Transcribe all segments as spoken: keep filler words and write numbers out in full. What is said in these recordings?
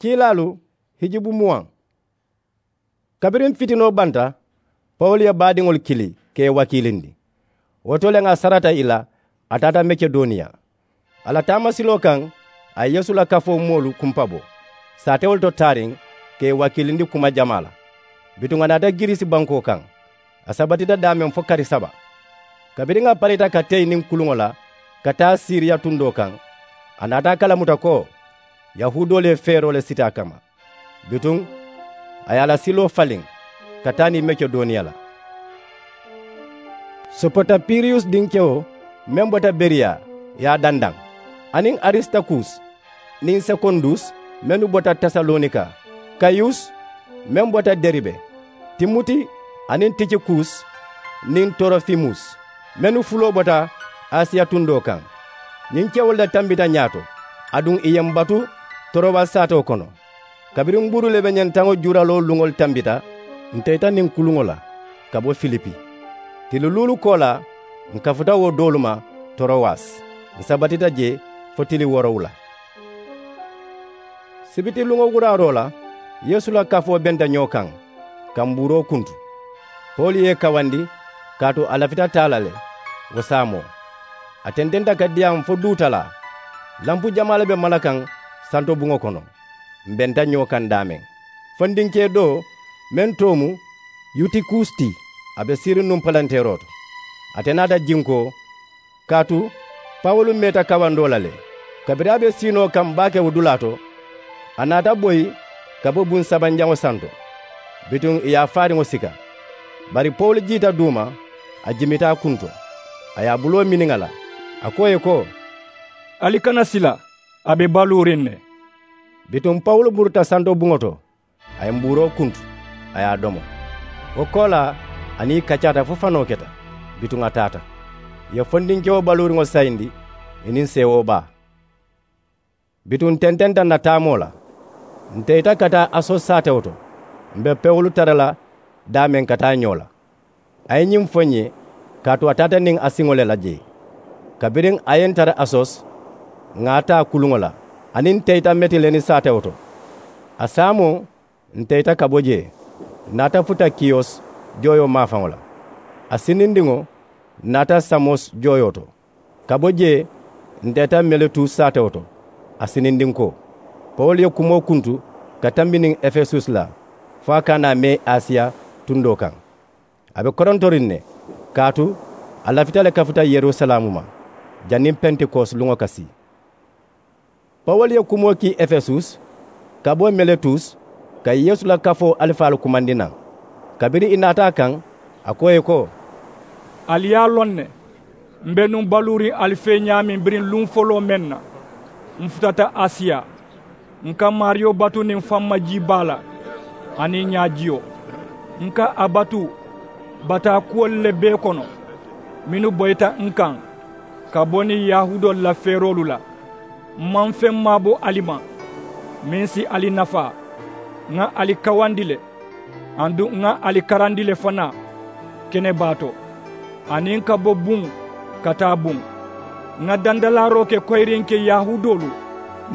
Kiilaalu hijubu muwaŋ. Kabiriŋ fitinoo banta, pawulu ye baadiŋolu kili ka ì wakiilindi. Wo to le ŋà sarata ì la, a taata mekedoniya. A la taamasiloo kaŋ, a ye yeesu la kafoo moolu kumpabo saatewolu to taariŋ, ka ì wakiilindi kuma jamaa la. Bituŋ a naata girisi bankoo kaŋ. A sabatita daameŋ fo kari saba. Kabiriŋ a parita ka teyi niŋ kuluŋo la ka taa siriya tundoo kaŋ, a naata a kalamuta ko yahuudoolu ye feeroo le siti a kamma. Bituŋ a ye a la siloo faliŋ ka taa niŋ mekedoniya la. Sopotapiriyusi dinkewo meŋ bota beriya ye a dandaŋ, aniŋ arisitakusi niŋ sekondusi mennu bota tesalonika, kayusi meŋ bota deribe, timuti aniŋ tikikusi niŋ torofimusi mennu fuloo bota asiya tundoo kaŋ. Ñiŋ kewolu le tambita ñaato, aduŋ ì ye m batu torowasi saatewo kono. Kabiriŋ buuru le be ñentaŋo juuraloo luŋolu tambita, ǹ teyita niŋ kuluŋo la ka bo filipi. Tili luulu koolaa ǹ kafuta wo doolu ma torowasi, ǹ sabatita jee fo tili woorowula. Sibiti luŋo wuraaroo la, yeesu la kafoo benta ñoo kaŋ ka mbuuroo kuntu. Pawulu ye ì kawandi kaatu a lafita taa la le. Wo saamoo a tententa ka diyaamu fo duutalaa. Lanpu jamaa le be mala kaŋ santo buŋo kono. M benta ñoo kaŋ daameŋ. Fondinkee doo meŋ too mu yutikusi ti, a be siiriŋ nuŋ palanteeroo to. Ate naata jinkoo kaatu pawulu meeta kawandoo la le. Kabiriŋ a be siinoo kaŋ baake wo dulaa to, a naata boyi ka bo buŋ sabanjaŋo santo. Bituŋ ì ye a faariŋo sika. Bari pawulu jiita duuma, a jimita a kunto, a ye a buloo miniŋ a la, a ko ì ye ko, ali kana sila, a be baluuriŋ ne. Bituŋ pawulu muruta santo buŋo to, a ye mbuuroo kuntu, a ye a domo. Wo koolaa a niŋ ì kacaata fo fanoo keta. Bituŋ a taata, ì ye fondinkewo baluuriŋo sayindi ì niŋ seewoo baa. Bituŋ ǹ tententa ǹ na taamoo la, ǹ teyita ka taa asosi saatewo to. M be pewolu tara la daameŋ ka taa ñoo la. A ye ñiŋ fo ǹ ye kaatu a taata niŋ a siŋo le la jee. Kabiriŋ a ye ǹ tara asosi, ŋà a taa kuluŋo la, aniŋ ǹ teyita metileni saatewo to. A saamoo ǹ teyita ka bo jee, ǹ naata futa kiyosi jooyoo maafaŋo la. A sinindiŋo ǹ naata samosi jooyoo to. Ka bo jee ǹ teyita meletusi saatewo to, a sinindinkoo. Pawulu ye kumoo kuntu ka tambi niŋ efesusi la, fo a ka a naa mee asiya tundoo kaŋ. A be korontoriŋ ne, kaatu a lafita le kafuta yerusalaamu ma janniŋ pentekosi luŋo ka sii. Pawulu ye kumoo kii efesusi, ka bo meletusi, ka yeesu la kafoo alifaalu kumandi naŋ. Kabiriŋ ì naata a kaŋ, a ko ì ye ko, ali ye a loŋ ne, m be nuŋ baluuriŋ ali fee ñaameŋ biriŋ luŋ foloo meŋ na, m futata asiya. N ka maariyo batu niŋ famma jii baa la, aniŋ ñaajiyo. N ka a batu bataa kuwolu le bee kono, mennu boyita n kaŋ ka bo niŋ yahuudoolu la feeroolu la. M maŋ feŋ maabo ali ma meŋ si ali nafaa. Ŋa ali kawandi le, aduŋ ŋa ali karandi le fanaa, kene baa to, aniŋ ka bo buŋ ka taa buŋ. Ŋa dandalaaroo ke koyiriŋ ke yahuudoolu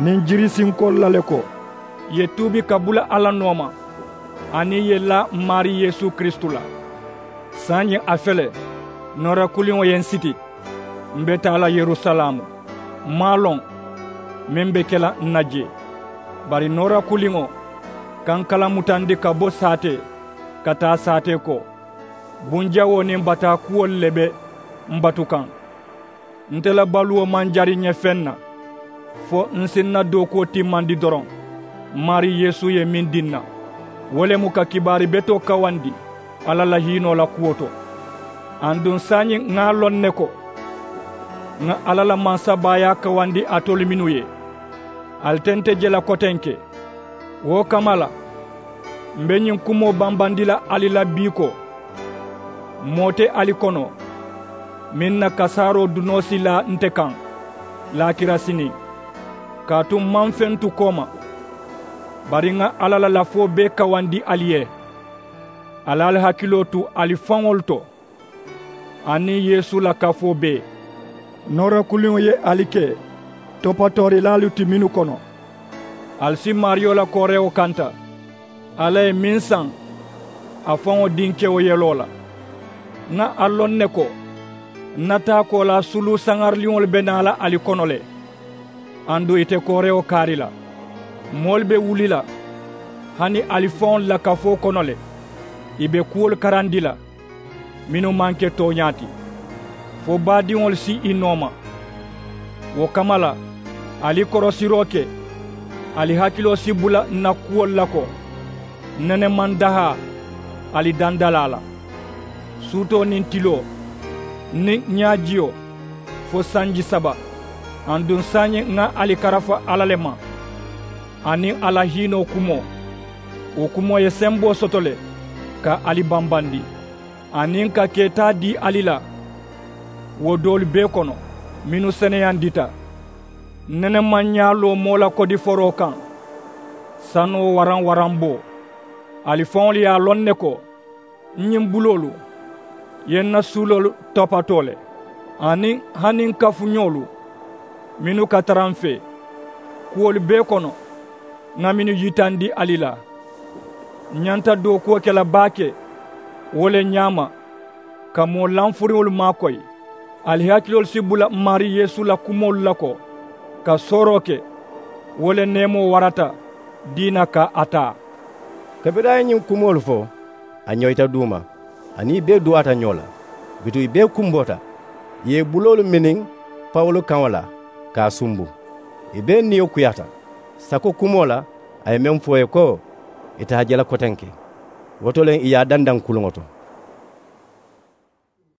niŋ jirisinkoolu la le ko, ì ye tuubi ka bula alla nooma, aniŋ ì ye laa m maarii yeesu kiristu la. Saayiŋ a fele, noora kuliŋo ye n siti. M be taa la yerusalaamu, m maŋ a loŋ meŋ be ke la n na jee. Bari noora kuliŋo ka n kala mutandi ka bo saatee ka taa saatee ko. Bunjawoo niŋ bataa kuwolu le be m batu kaŋ. Nte la baluwo maŋ jari ǹ ye feŋ na, fo n si n na dookuwo timmandi doroŋ. M maarii yeesu ye meŋ dii n na, wo le mu ka kibaari betoo kawandi alla la hiinoo la kuwo to. Aduŋ saayiŋ ŋa a loŋ ne ko, ŋa alla la mansabaayaa kawandi alitolu mennu ye, ali te nte je la kotenke. Wo kamma la, m be ñiŋ kumoo bambandi la ali la bii ko, moo te ali kono meŋ na kasaaroo dunoo si laa nte kaŋ laakira siniŋ. Kaatu m maŋ feŋ tu kooma, bari ŋa alla la lafoo bee kawandi ali ye. Ali ali hakiloo tu ali faŋolu to, aniŋ yeesu la kafoo bee. Noora kuliŋo ye ali ke topatoorilaalu ti mennu kono, Ali si maariyo la koorewo kanta. Alla ye meŋ saŋ a faŋo dinkewo yeloo la. Ŋa a loŋ ne ko n na taa koolaa suluusaŋariliŋolu be naa la ali kono le. Aduŋ ì te koorewo kaari la. Moolu be wuli la hani ali faŋolu la kafoo kono le. Ì be kuwolu karandi la mennu maŋ ke tooñaa ti, fo baadiŋolu si ì nooma. Wo kamma la, ali korosiroo ke. Ali hakiloo si bula n na kuwolu la ko n nene maŋ dahaa ali dandalaa la, suutoo niŋ tiloo, niŋ ñaajiyo, fo sanji saba. Aduŋ saayiŋ ŋa ali karafa alla le ma aniŋ a la hiinoo kumoo. Wo kumoo ye semboo soto le ka ali bambandi, aniŋ ka keetaa dii ali la wo doolu bee kono mennu seneyandita. N nene maŋ ñaa loo moo la kodiforoo kaŋ sanoo waraŋ-waranboo. Ali faŋolu ye a loŋ ne ko n ñiŋ buloolu ye n na suuloolu topatoo le, aniŋ hani n kafuñoolu mennu ka tara m fee. Kuwolu bee kono ŋa mennu yitandi ali la, n ñanta dookuwo ke la baake wo le ñaama ka moo lanfuriŋolu maakoyi. Ali hakiloolu si bula n maarii yeesu la kumoolu la ko ka sooroo ke. Wo le neemoo warata diina ka a taa. Kabiriŋ a ye ñiŋ kumoolu fo, a ñoyita duuma, aniŋ ì bee duwaata ñoo la. Bituŋ ì bee kumboota, ì ye ì buloolu miniŋ pawulu kaŋo la ka a sumbu. Ì bee niyo kuyaata sako kumoo la a ye meŋ fo ì ye ko ì taa jalakotenke. Wo to le ì ye a dandaŋ kuluŋo to.